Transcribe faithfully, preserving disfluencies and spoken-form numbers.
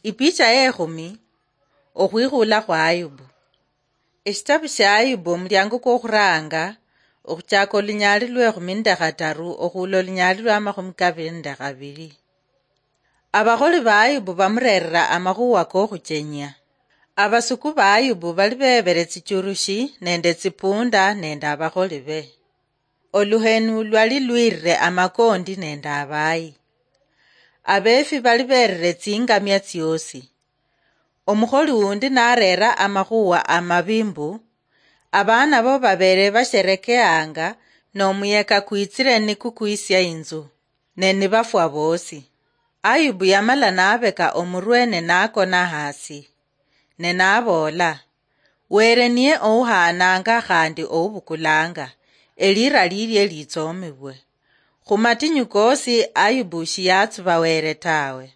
Ipicha yekhumi. Okhwikhula khwa Ayubu. Eshitabu sha Ayubu, omuliango kwokhuranga, okhuchaka olunyaali lwekhumi nende khataru okhula olunyaali lwa makhumi kabiri nende khabiri. Abakholi ba Ayubu bamurerera amakhuwa kokhuchenya. Abasuku ba Ayubu bali bebere tsichurushi nende tsipunda nende abakholi be. Oluhenu lwali lwirire amakondi nende abayi. Abefi bali berire tsingamia tsiosi. Omukholi wundi narera amakhuwa amabi mbu, abaana bo babere basherekeanga, nomuyeka kwitsire nikukwisya inzu, ne nibafwa bosi. Ayubu yamala nabeka omurwe ne nakona hasi, ne naboola, "Were niye ouhananga khandi oubukulanga, elira lilie litsomibwe." Khumatinyu kosi Ayubu shiyatsuba Were tawe.